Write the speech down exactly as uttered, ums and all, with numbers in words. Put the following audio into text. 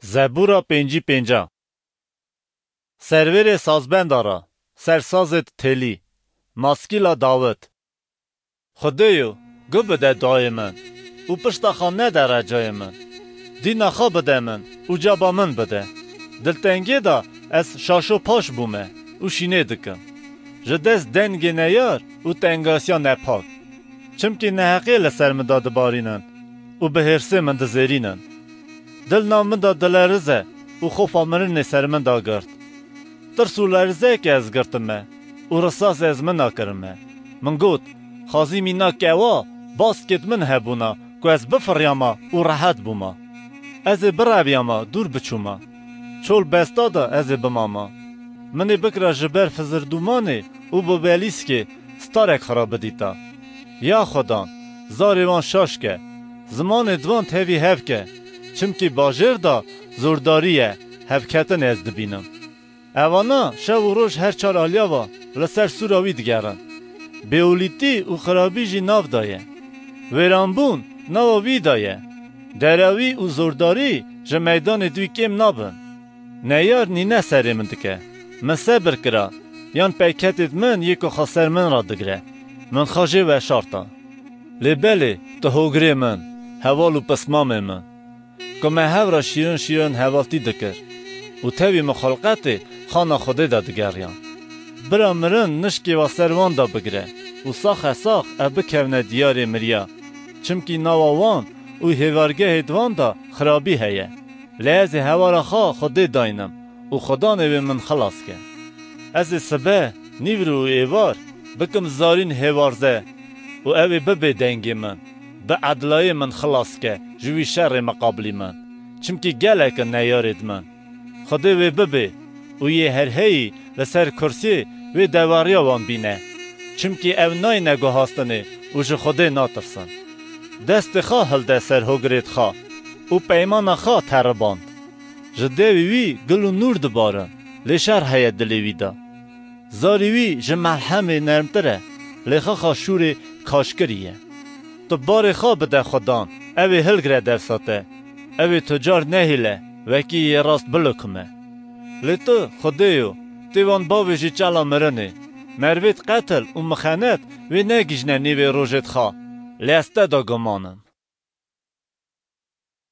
Zebûra pêncî pênca. Servêrê sazbenda ra, sersazêd têlî, maskîla Dawid. Xwedêyo, gu bide dayê min û pişta xwe nede recayê min. Dîna xwe bide min û caba min bide. Diltengê de ez şaşo paş bûme û şînê dikim. Ji dest dengê neyar û tengasiya nepak. Çimkî neheqê li ser min de dibarînin û bi hêrsê min dizêrînin. Dil nav min de dilerize û xofa mirinê ser min de girt. Tirs û lerizeyekê ez girtime û risasê ez min nakirime. Min got, "Xazî mîna kewa, baskêt min hebûna ku ez bifiriyama û rehet bûma. Ez ê bireviyama, dûr biçûma. Çol besta de ez ê bimama. Min ê bikira ji ber fizirdûmanê û bi belîskê starek xira bidîta. Ya Xudan, zarê wan şaş ke, zimanê di wan tevî hev ke, çimkî bajêr de zordarî ye, hevketinê ez dibînim. Evana şev û roj her çar aliya ve li ser sûra wî digerin. Bêolîtî û xirabî jî nav de ye. Wêranbûn nava wî de ye. Derawî û zordarî ji meydanê dû kêm nabin. Neyar nîne serê min dike. Min sebir kira, yan peyketêd min yê ku xwe ser min re digire. Min xwe jê veşarta. Lê belê, tu hogirê min, heval û pismamê min, ku me hev re şîrin şîrin hevaltî dikir û tevî min xulqetê xana Xwedê de digeriyan. Bira mirin nişkê ve ser wan de bigire û saxe sax ev bikevne diyarê miriya, çimkî nava wan û hêvargehêd wan de xirabî heye. Lê ez ê hewara xwe Xwedê daynim û Xudanê wê min xilas ke. Ez ê sibe, nîvro û êvar bikim zarîn hêvarze û ew ê bibê dengê min, bi edlayê min xilas ke ji wî şerê miqabilî min, çimkî gelek in neyarêd min. Xwedê wê bibê û yê herheyî li ser kursiyê wê dewariya wan bîne, çimkî ew nayne guhastinê û ji Xwedê natirsin. Destê xwe hilde ser hogirêd xwe û peymana xwe teriband. Ji dewê wî gul û nûr dibarin, lê şer heye dilê wî de. Zarî wî ji melhemê nermtir e, lê xexa şûrê kaşkirî ye. Tu barê xwe bide Xudan, ew ê hilgire dersa te. Ew ê tu car nehêle, wekî yê rast bilukime. Lê tu, Xwedêyo, tê wan bavêjî çela mirinê. Mervêd qetil û mixenet wê negihîjne nîvê rojêd xwe, lê ez te de guman im.